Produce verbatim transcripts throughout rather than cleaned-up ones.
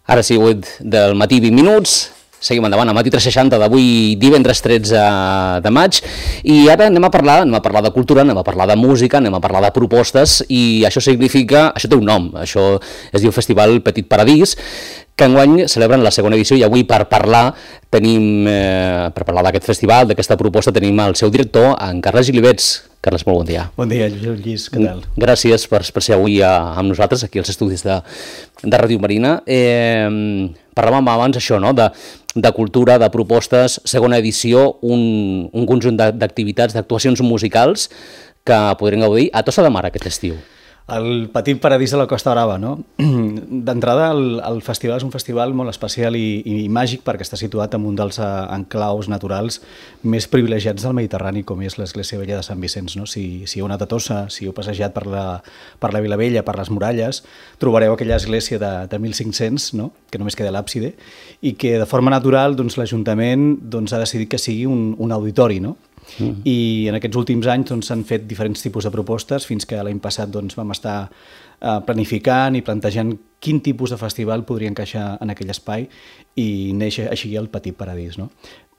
Ara sí, vuit del matí, vint minuts. Seguim endavant, al matí tres seixanta d'avui, divendres tretze de maig, i ara anem a parlar, anem a parlar de cultura, anem a parlar de música, anem a parlar de propostes, i això significa, això té un nom, això es diu Festival Petit Paradís, que enguany celebren la segona edició, i avui per parlar tenim, eh, per parlar d'aquest festival, d'aquesta proposta, tenim el seu director, en Carles Gilivets. Carles, molt bon dia. Bon dia, Lluís, què tal? Gràcies per, per ser avui a, amb nosaltres, aquí als estudis de, de Ràdio Marina. Eh, parlàvem abans això, no?, de, de cultura, de propostes, segona edició, un, un conjunt d'activitats, d'actuacions musicals que podrem gaudir a Tossa de Mar aquest estiu. El Petit Paradís de la Costa Brava, no? D'entrada, el, el festival és un festival molt especial i, i màgic perquè està situat en un dels enclaus naturals més privilegiats del Mediterrani, com és l'Església Vella de Sant Vicenç, no? Si, si heu anat a Tossa, si heu passejat per la, per la Vilavella, per les muralles, trobareu aquella església de, de mil cinc-cents, no?, que només queda l'àpside, i que de forma natural doncs, l'Ajuntament doncs, ha decidit que sigui un, un auditori, no? Mm. I en aquests últims anys doncs, s'han fet diferents tipus de propostes fins que l'any passat doncs, vam estar eh, planificant i plantejant quin tipus de festival podria encaixar en aquell espai i neix així el Petit Paradís, no?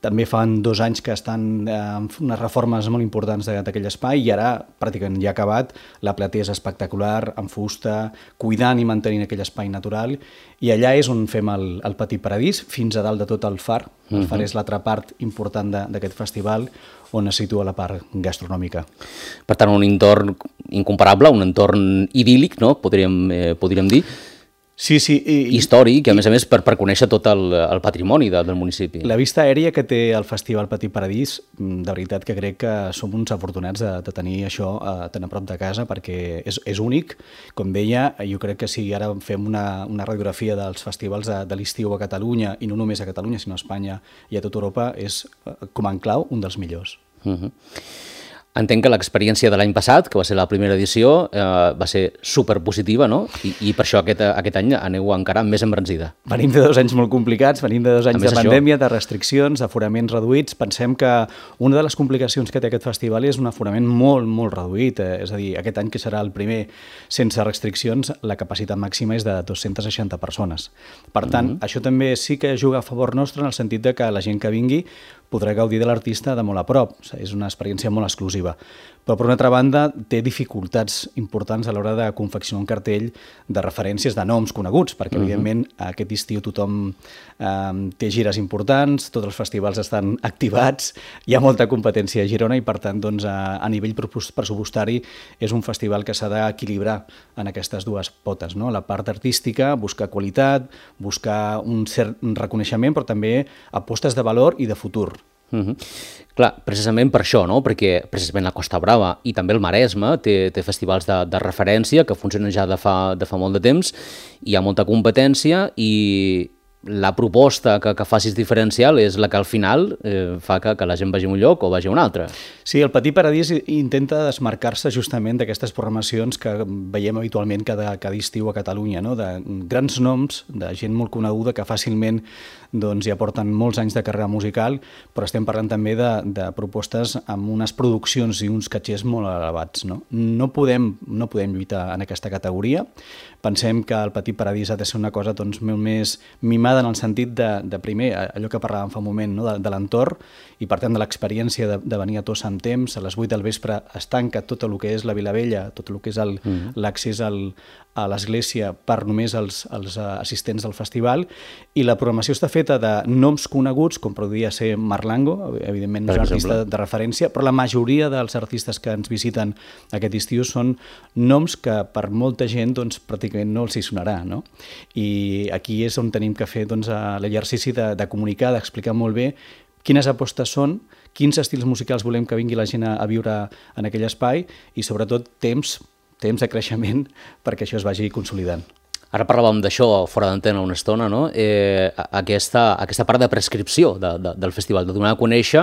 També fan dos anys que estan eh, unes reformes molt importants d'aquell espai i ara pràcticament ja ha acabat, la platea és espectacular, amb fusta, cuidant i mantenint aquell espai natural, i allà és on fem el, el Petit Paradís, fins a dalt de tot el far. El far és l'altra part important d'aquest festival, on es situa la part gastronòmica. Per tant, un entorn incomparable, un entorn idíl·lic, no?, podríem, eh, podríem dir. Sí, sí. I, històric, i a més a més per, per conèixer tot el, el patrimoni de, del municipi. La vista aèria que té el Festival Petit Paradís, de veritat que crec que som uns afortunats de, de tenir això eh, tan a prop de casa, perquè és, és únic. Com deia, jo crec que si ara fem una, una radiografia dels festivals de, de l'estiu a Catalunya, i no només a Catalunya, sinó a Espanya i a tota Europa, és, com a enclau, un dels millors. Uh-huh. Entenc que l'experiència de l'any passat, que va ser la primera edició, eh, va ser superpositiva, no? I, i per això aquest, aquest any aneu encara més embranzida. Venim de dos anys molt complicats, venim de dos anys de pandèmia, de restriccions, d'aforaments reduïts. Pensem que una de les complicacions que té aquest festival és un aforament molt, molt reduït. Eh? És a dir, aquest any, que serà el primer sense restriccions, la capacitat màxima és de dues-centes seixanta persones. Per tant, mm-hmm. això també sí que juga a favor nostre en el sentit de que la gent que vingui podrà gaudir de l'artista de molt a prop. És una experiència molt exclusiva. Però, per una altra banda, té dificultats importants a l'hora de confeccionar un cartell de referències de noms coneguts, perquè, uh-huh. evidentment, aquest estiu tothom eh, té gires importants, tots els festivals estan activats, hi ha molta competència a Girona i, per tant, doncs, a, a nivell pressupostari és un festival que s'ha d'equilibrar en aquestes dues potes, no? La part artística, buscar qualitat, buscar un cert reconeixement, però també apostes de valor i de futur. Uh-huh. Clar, precisament per això, no? Perquè precisament la Costa Brava i també el Maresme té, té festivals de, de referència que funcionen ja de fa, de fa molt de temps, hi ha molta competència i la proposta que, que facis diferencial és la que al final eh, fa que, que la gent vagi a un lloc o vagi a un altre. Sí, el Petit Paradís intenta desmarcar-se justament d'aquestes programacions que veiem habitualment cada, cada estiu a Catalunya, no? De grans noms, de gent molt coneguda que fàcilment doncs, ja porten molts anys de carrera musical, però estem parlant també de, de propostes amb unes produccions i uns catxers molt elevats. No, no, podem, no podem lluitar en aquesta categoria. Pensem que el Petit Paradís ha de ser una cosa doncs, molt més mimada en el sentit de, de primer, allò que parlàvem fa un moment, no? de, de l'entorn, i per tant de l'experiència de, de venir a Tossa amb temps. A les vuit del vespre es tanca tot el que és la Vilavella, tot el que és el, mm. l'accés al, a l'església per només els, els assistents del festival, i la programació està feta de noms coneguts, com podria ser Marlango, evidentment no és un artista de referència, però la majoria dels artistes que ens visiten aquest estiu són noms que per molta gent doncs, pràcticament no els hi sonarà, no? I aquí és on tenim que fer doncs, l'exercici de, de comunicar, d'explicar molt bé quines apostes són, quins estils musicals volem que vingui la gent a, a viure en aquell espai i sobretot temps, temps de creixement perquè això es vagi consolidant. Ara parlàvem d'això fora d'antena una estona, no? Eh, aquesta, aquesta part de prescripció de, de, del festival, de donar a conèixer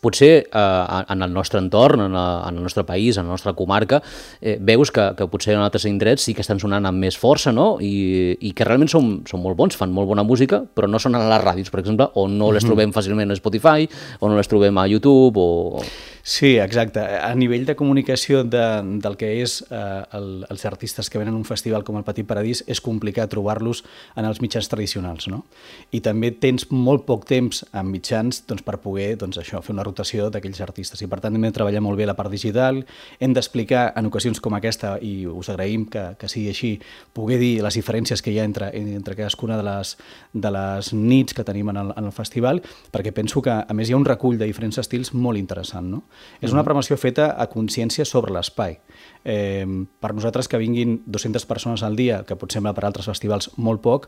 potser eh, en el nostre entorn, en, a, en el nostre país, en la nostra comarca, eh, veus que, que potser en altres indrets sí que estan sonant amb més força, no? I, i que realment són, són molt bons, fan molt bona música, però no sonen a les ràdios, per exemple, o no les trobem fàcilment a Spotify, o no les trobem a YouTube, o... Sí, exacte. A nivell de comunicació de, del que és eh, el, els artistes que venen a un festival com el Petit Paradís, és complicat trobar-los en els mitjans tradicionals, no? I també tens molt poc temps en mitjans doncs, per poder doncs, això, fer una rotació d'aquells artistes. I per tant hem de treballar molt bé la part digital, hem d'explicar en ocasions com aquesta, i us agraïm que, que sigui així, poder dir les diferències que hi ha entre, entre cadascuna de les, de les nits que tenim en el, en el festival, perquè penso que a més hi ha un recull de diferents estils molt interessant, no? És una programació feta a consciència sobre l'espai. Eh, per nosaltres que vinguin dues-centes persones al dia, que pot semblar per altres festivals molt poc,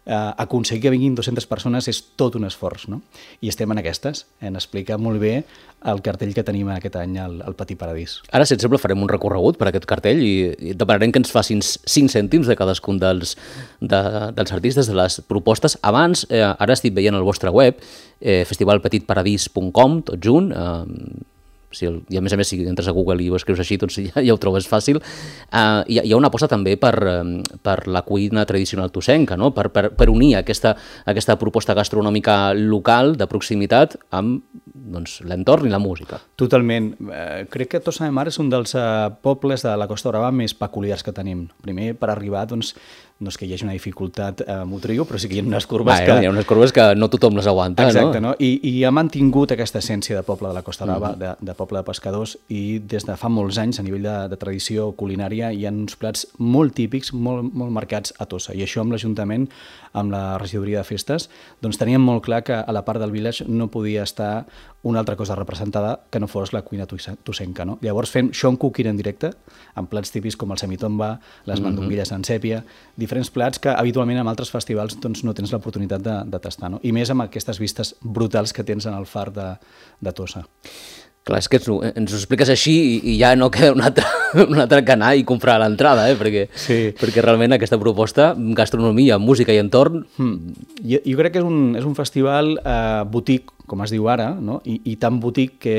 eh, aconseguir que vinguin dues-centes persones és tot un esforç, no? I estem en aquestes, en explicar molt bé el cartell que tenim aquest any al, al Petit Paradís. Ara, si et sembla, farem un recorregut per aquest cartell i, i demanarem que ens facin cinc cèntims de cadascun dels, de, dels artistes, de les propostes. Abans, eh, ara estic veient el vostre web, eh, festival petit paradís punt com, tot junt, eh, sí, i a més a més si entres a Google i ho escrius així doncs ja, ja ho trobes fàcil. Uh, hi, ha, hi ha una aposta també per, per la cuina tradicional tossenca, no? per, per, per unir aquesta, aquesta proposta gastronòmica local de proximitat amb doncs, l'entorn i la música. Totalment. Uh, crec que Tossa de Mar és un dels uh, pobles de la Costa Brava més peculiars que tenim. Primer, per arribar, doncs, no és que hi hagi una dificultat eh, motriu, però sí que hi ha unes curves Va, que... Hi ha unes curves que no tothom les aguanta, Exacte, no? no? I, I ha mantingut aquesta essència de poble de la Costa Brava, mm-hmm. de, de poble de pescadors, i des de fa molts anys, a nivell de, de tradició culinària, hi ha uns plats molt típics, molt, molt marcats a Tossa. I això amb l'Ajuntament, amb la regidoria de festes, doncs teníem molt clar que a la part del village no podia estar una altra cosa representada que no fos la cuina tossenca, no? Llavors fem show cooking en directe, amb plats típics com el semitomba, les mandonguilles mm-hmm. en sèpia, diferents plats que habitualment en altres festivals doncs, no tens l'oportunitat de, de tastar, no? I més amb aquestes vistes brutals que tens en el far de, de Tossa. Clar, és que ens ho, ens ho expliques així i, i ja no queda un altre, un altre que anar i comprar a l'entrada, eh? perquè, sí. perquè realment aquesta proposta, gastronomia, música i entorn... Hmm. Jo, jo crec que és un, és un festival eh, boutique, com es diu ara, no? I, i tan boutique que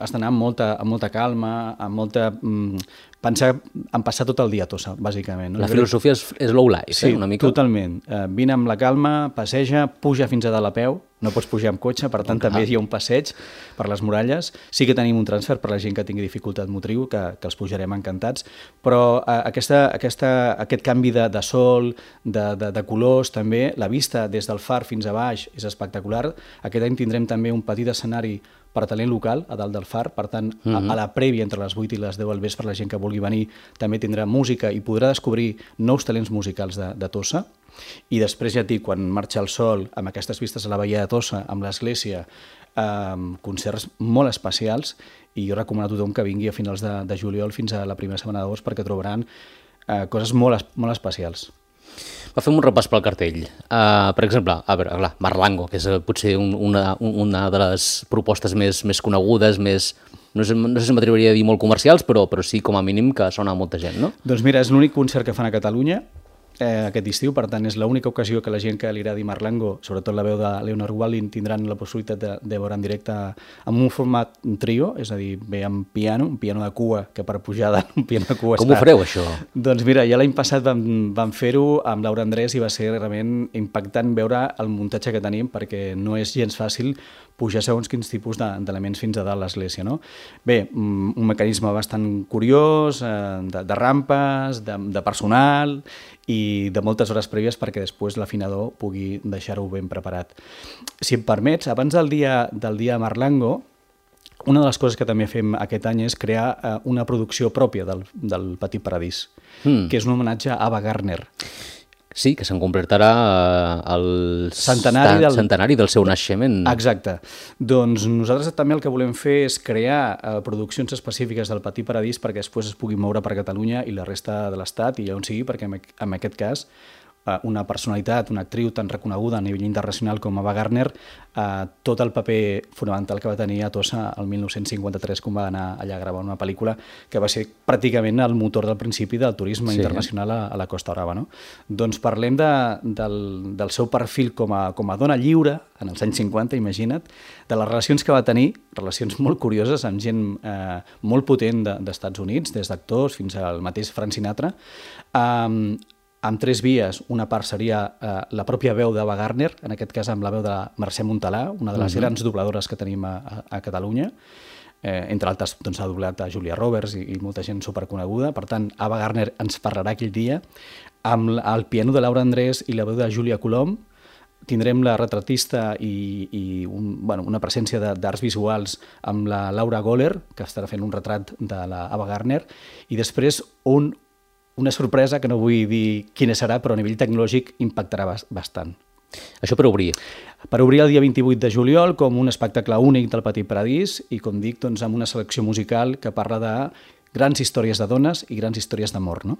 has d'anar amb molta, amb molta calma, amb molta... Mm, pensar en passar tot el dia a Tossa, bàsicament. No? La filosofia és, és low life, sí, eh? Una mica. Totalment. Uh, vine amb la calma, passeja, puja fins a dalt a peu, no pots pujar amb cotxe, per tant, okay. també hi ha un passeig per les muralles. Sí que tenim un transfer per la gent que tingui dificultat motriu, que, que els pujarem encantats, però uh, aquesta, aquesta, aquest canvi de, de sol, de, de, de colors, també, la vista des del far fins a baix és espectacular. Aquest any tindrem també un petit escenari per talent local, a dalt del far, per tant, uh-huh. a, a la prèvia, entre les vuit i les deu al vespre, la gent que vulgui venir també tindrà música i podrà descobrir nous talents musicals de, de Tossa. I després, ja et dic, quan marxa el sol, amb aquestes vistes a la Badia de Tossa, amb l'església, eh, concerts molt especials, i jo recomano a tothom que vingui a finals de, de juliol fins a la primera setmana d'agost, perquè trobaran eh, coses molt, molt especials. Va, fem un repàs pel cartell. Uh, per exemple, a veure, clar, Marlango, que és potser un, una, una de les propostes més, més conegudes, més, no sé, no sé si m'atreviria a dir molt comercials, però, però sí, com a mínim, que sona a molta gent, no? Doncs mira, és l'únic concert que fan a Catalunya eh, aquest estiu, per tant, és l'única ocasió que la gent que li agradi Marlango, sobretot la veu de Leonard Wallin, tindran la possibilitat de, de veure en directe amb un format un trio, és a dir, ve amb piano, un piano de cua, que per pujar dalt un piano de cua... Com ho fareu, això? Doncs mira, ja l'any passat vam, vam fer-ho amb Laura Andrés i va ser realment impactant veure el muntatge que tenim, perquè no és gens fàcil pujar segons quins tipus d'elements fins a dalt l'església, no? Bé, un mecanisme bastant curiós, de, de rampes, de, de personal i de moltes hores prèvies perquè després l'afinador pugui deixar-ho ben preparat. Si em permets, abans del dia, del dia Marlango, una de les coses que també fem aquest any és crear eh, una producció pròpia del, del Petit Paradís, mm. que és un homenatge a Ava Gardner. Sí, que se'n completarà el centenari del... centenari del seu naixement. Exacte. Doncs nosaltres també el que volem fer és crear eh, produccions específiques del Petit Paradís perquè després es pugui moure per Catalunya i la resta de l'Estat i on sigui, perquè en aquest cas una personalitat, una actriu tan reconeguda a nivell internacional com Ava Gardner, eh, tot el paper fonamental que va tenir a Tossa el mil nou-cents cinquanta-tres quan va anar allà a gravar una pel·lícula que va ser pràcticament el motor del principi del turisme sí. internacional a, a la Costa Brava. No? Doncs parlem de, del, del seu perfil com a, com a dona lliure, en els anys cinquanta, imagina't, de les relacions que va tenir, relacions molt curioses amb gent eh, molt potent de, d'Estats Units, des d'actors fins al mateix Frank Sinatra, eh, amb tres vies. Una part seria eh, la pròpia veu d'Ava Gardner, en aquest cas amb la veu de Mercè Montalà, una de les uh-huh. grans dobladores que tenim a, a, a Catalunya. Eh, entre altres, doncs, ha doblat a Julia Roberts i, i molta gent superconeguda. Per tant, Ava Gardner ens parlarà aquell dia. Amb el piano de Laura Andrés i la veu de Julia Colom tindrem la retratista i, i un, bueno, una presència d'arts visuals amb la Laura Goller, que estarà fent un retrat de la Ava Gardner, i després un una sorpresa que no vull dir quina serà, però a nivell tecnològic impactarà bastant. Això per obrir. Per obrir el dia vint-i-vuit de juliol com un espectacle únic del Petit Paradís i, com dic, doncs, amb una selecció musical que parla de grans històries de dones i grans històries d'amor. No?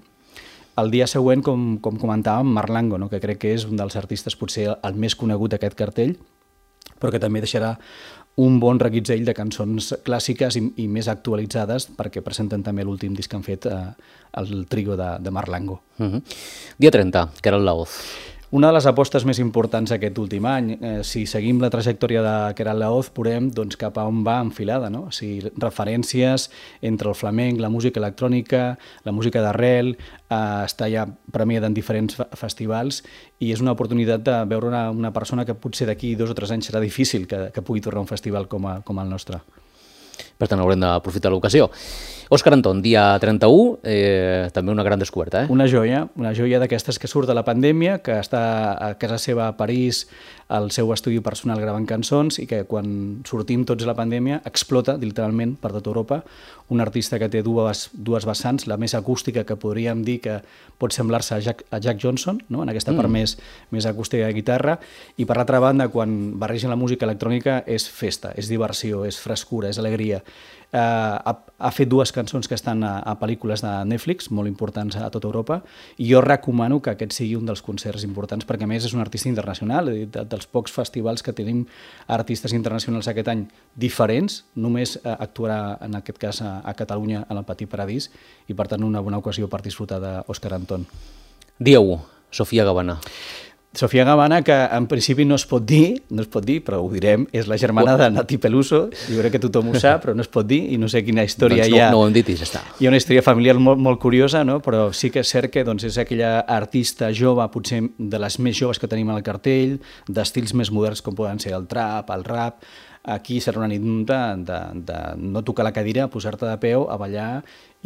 El dia següent, com, com comentàvem, Marlango, no? que crec que és un dels artistes potser el més conegut d'aquest cartell, però que també deixarà un bon reguitzell de cançons clàssiques i, i més actualitzades perquè presenten també l'últim disc que han fet eh, el trio de, de Marlango. Uh-huh. Dia trenta, Queralt Laoz. Una de les apostes més importants aquest últim any, eh, si seguim la trajectòria de Queralt Laoz, veurem doncs, cap a on va enfilada, no? O sigui, referències entre el flamenc, la música electrònica, la música d'arrel, eh, està ja premiada en diferents festivals i és una oportunitat de veure una, una persona que potser d'aquí dos o tres anys serà difícil que, que pugui tornar a un festival com, a, com el nostre. Per tant, haurem d'aprofitar l'ocasió. Òscar Anton, dia trenta-u, eh, també una gran descoberta. Eh? Una joia, una joia d'aquestes que surt de la pandèmia, que està a casa seva a París, al seu estudi personal gravant cançons i que quan sortim tots de la pandèmia explota literalment per tota Europa. Un artista que té dues, dues vessants, la més acústica, que podríem dir que pot semblar-se a Jack, a Jack Johnson, no? En aquesta part mm. més, més acústica de guitarra, i per l'altra banda, quan barregen la música electrònica, és festa, és diversió, és frescura, és alegria. Uh, ha, ha fet dues cançons que estan a, a pel·lícules de Netflix, molt importants a tota Europa, i jo recomano que aquest sigui un dels concerts importants, perquè a més és un artista internacional, de, de, dels pocs festivals que tenim artistes internacionals aquest any diferents, només uh, actuarà en aquest cas a, a Catalunya, en el Petit Paradís, i per tant una bona ocasió per disfrutar d'Òscar Anton. Dia u, Sofia Gavana. Sofia Gavana, que en principi no es pot dir, no es pot dir, però ho direm, és la germana de Nati Peluso, jo crec que tothom ho sap, però no es pot dir, i no sé quina història doncs no, hi ha. No ho hem dit i ja està. Hi ha una història familiar molt, molt curiosa, no? Però sí que és cert que doncs, és aquella artista jove, potser de les més joves que tenim al cartell, d'estils més moderns com poden ser el trap, el rap. Aquí serà una nit de, de, de no tocar la cadira, posar-te de peu, a ballar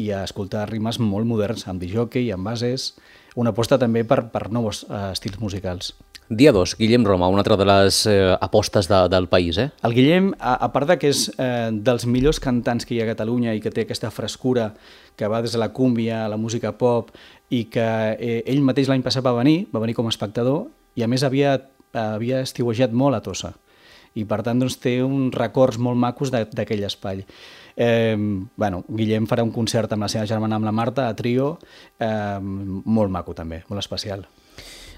i a escoltar rimes molt moderns, amb disjockey, amb bases, una aposta també per, per nous uh, estils musicals. Dia dos, Guillem Roma, una altra de les eh, apostes de, del país. Eh? El Guillem, a, a part de que és eh, dels millors cantants que hi ha a Catalunya i que té aquesta frescura que va des de la cúmbia a la música pop i que eh, ell mateix l'any passat va venir, va venir com a espectador i a més havia, havia estiuejat molt a Tossa. I per tant doncs, té uns records molt macos d'aquell espai. Eh, bueno, Guillem farà un concert amb la seva germana, amb la Marta, a trio, eh, molt maco també, molt especial.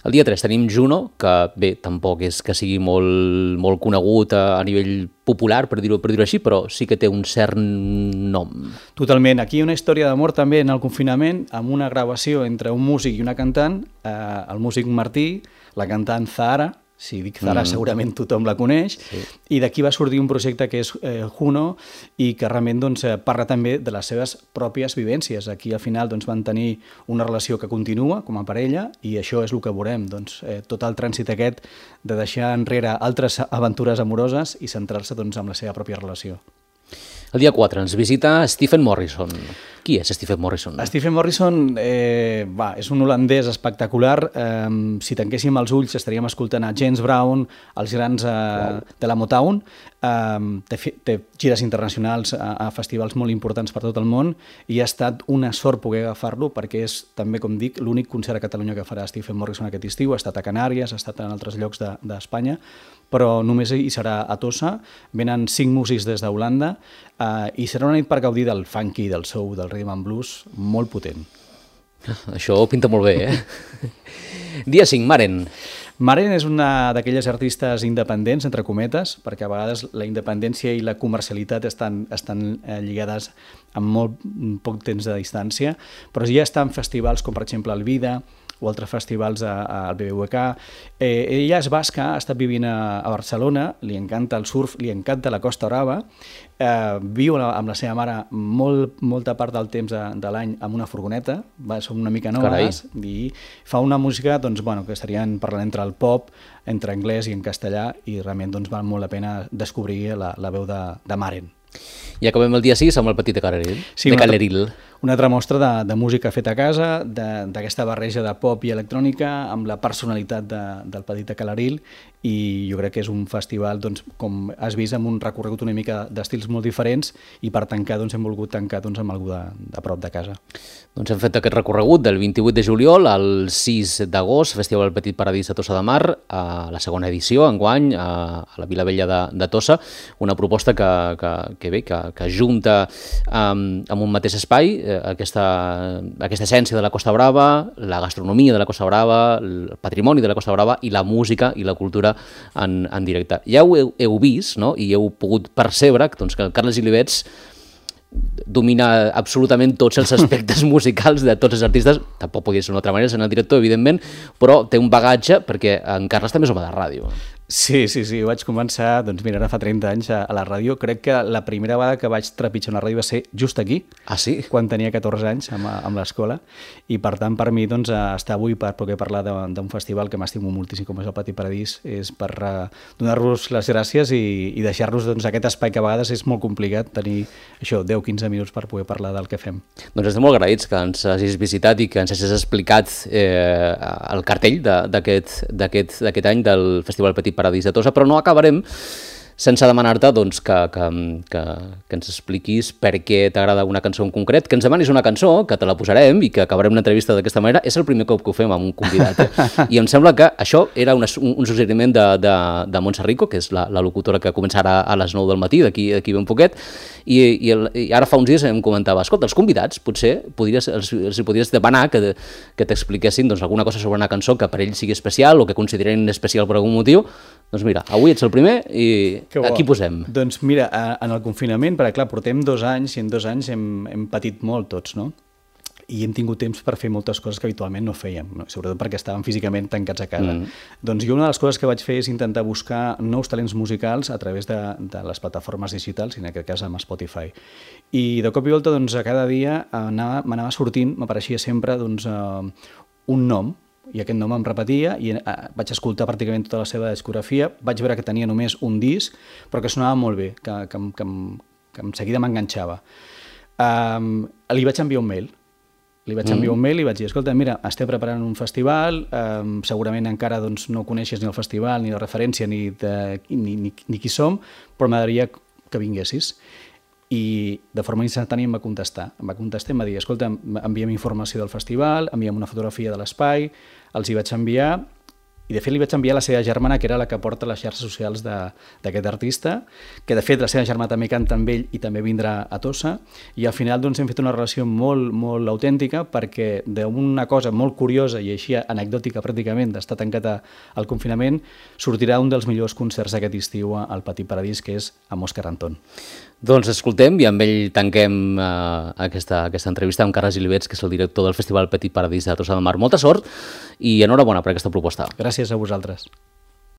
El dia tres tenim Juno, que bé, tampoc és que sigui molt, molt conegut a, a nivell popular, per dir-ho per dir-ho així, però sí que té un cert nom. Totalment. Aquí hi ha una història d'amor també en el confinament, amb una gravació entre un músic i una cantant, eh, el músic Martí, la cantant Zahara. Si dic Zara, mm. segurament tothom la coneix, sí. I d'aquí va sortir un projecte que és eh, Juno i que realment doncs, parla també de les seves pròpies vivències. Aquí al final doncs, van tenir una relació que continua com a parella i això és el que veurem, doncs, eh, tot el trànsit aquest de deixar enrere altres aventures amoroses i centrar-se doncs, en la seva pròpia relació. El dia quatre ens visita Stephen Morrison. Qui és Stephen Morrison? Stephen Morrison eh, va, és un holandès espectacular. Eh, si tanquéssim els ulls estaríem escoltant a James Brown, els grans eh, wow. de la Motown. Eh, té, té gires internacionals a, a festivals molt importants per tot el món i ha estat una sort poder agafar-lo perquè és, també com dic, l'únic concert a Catalunya que farà Stephen Morrison aquest estiu. Ha estat a Canàries, ha estat en altres llocs d'Espanya, de, però només hi serà a Tossa. Venen cinc músics des d'Holanda uh, i serà una nit per gaudir del funky, del soul, del rhythm and blues, molt potent. Això pinta molt bé, eh? Dia cinc, Maren. Maren és una d'aquelles artistes independents, entre cometes, perquè a vegades la independència i la comercialitat estan, estan eh, lligades amb molt poc temps de distància, però ja està en festivals com per exemple el Vida o altres festivals al B B V K. Eh, ella és basca, ha estat vivint a, a Barcelona, li encanta el surf, li encanta la Costa Brava, eh, viu amb la seva mare molt, molta part del temps de, de l'any amb una furgoneta, va, són una mica noves, i fa una música doncs, bueno, que estarien parlant entre el pop, entre anglès i en castellà, i realment doncs, val molt la pena descobrir la, la veu de, de Maren. I acabem el dia sis amb el Petit de Caleril. Sí, de una, Caleril. Una altra mostra de, de música feta a casa, d'aquesta barreja de pop i electrònica, amb la personalitat de, del Petit de Caleril, i jo crec que és un festival, doncs, com has vist, amb un recorregut una mica d'estils molt diferents, i per tancar doncs, hem volgut tancar doncs, amb algú de, de prop de casa. Doncs hem fet aquest recorregut del vint-i-vuit de juliol al sis d'agost, Festival Petit Paradís de Tossa de Mar, a la segona edició, enguany, a, a la Vila Vella de, de Tossa, una proposta que, que, que bé, que, que junta um, amb un mateix espai eh, aquesta, aquesta essència de la Costa Brava, la gastronomia de la Costa Brava, el patrimoni de la Costa Brava i la música i la cultura en, en directe. Ja ho heu, heu vist, no? I heu pogut percebre doncs, que el Carles Gilivets domina absolutament tots els aspectes musicals de tots els artistes, tampoc podria ser d'una altra manera, sent el director, evidentment, però té un bagatge perquè en Carles també és home de ràdio. Sí, sí, sí, vaig començar, doncs mira, ara fa trenta anys a, a la ràdio. Crec que la primera vegada que vaig trepitjar una ràdio va ser just aquí, ah, sí? Quan tenia catorze anys amb, amb l'escola, i per tant per mi doncs, estar avui per poder parlar d'un festival que m'estimo moltíssim com és el Petit Paradís és per uh, donar-vos les gràcies i, i deixar-los doncs, aquest espai que a vegades és molt complicat tenir això, deu a quinze minuts per poder parlar del que fem. Doncs estem molt agraïts que ens hagis visitat i que ens hagis explicat eh, el cartell d'aquest any del Festival Petit Paradís de Tossa, però no acabarem sense demanar-te doncs, que, que, que, que ens expliquis per què t'agrada una cançó en concret, que ens demanis una cançó, que te la posarem i que acabarem una entrevista d'aquesta manera. És el primer cop que ho fem amb un convidat. Eh? I em sembla que això era una, un, un suggeriment de, de, de Montse Rico, que és la, la locutora que començarà a les nou del matí, d'aquí ben poquet, i, i, el, i ara fa uns dies em comentava, escolta, els convidats potser podries, els, els podries demanar que, que t'expliquessin doncs, alguna cosa sobre una cançó que per ells sigui especial o que consideren especial per algun motiu. Doncs mira, avui ets el primer i aquí posem. Doncs mira, en el confinament, perquè clar, portem dos anys i en dos anys hem, hem patit molt tots, no? I hem tingut temps per fer moltes coses que habitualment no fèiem, no? Sobretot perquè estàvem físicament tancats a casa. Mm. Doncs jo una de les coses que vaig fer és intentar buscar nous talents musicals a través de, de les plataformes digitals, i en aquest cas amb Spotify. I de cop i volta, doncs, a cada dia m'anava sortint, m'apareixia sempre doncs, uh, un nom, i aquest nom em repetia, i uh, vaig escoltar pràcticament tota la seva discografia, vaig veure que tenia només un disc, però que sonava molt bé, que, que, que, que en seguida m'enganxava. Um, li vaig enviar un mail, li vaig enviar un mail i vaig dir, escolta, mira, estem preparant un festival, um, segurament encara doncs, no coneixes ni el festival, ni la referència, ni, de, ni, ni, ni qui som, però m'agradaria que vinguessis. I de forma instantània em va contestar. Em va contestar i em va dir, escolta, enviem informació del festival, enviem una fotografia de l'espai, els hi vaig enviar, i de fet li vaig enviar a la seva germana, que era la que porta les xarxes socials d'aquest artista, que de fet la seva germana també canta amb ell i també vindrà a Tossa, i al final doncs, hem fet una relació molt, molt autèntica, perquè d'una cosa molt curiosa i així anecdòtica pràcticament d'estar tancat al confinament, sortirà un dels millors concerts d'aquest estiu al Petit Paradís, que és amb Òscar Antón. Doncs escoltem i amb ell tanquem uh, aquesta, aquesta entrevista amb Carles Gilivets, que és el director del Festival Petit Paradís de Tossa de Mar. Molta sort i enhorabona per aquesta proposta. Gràcies a vosaltres.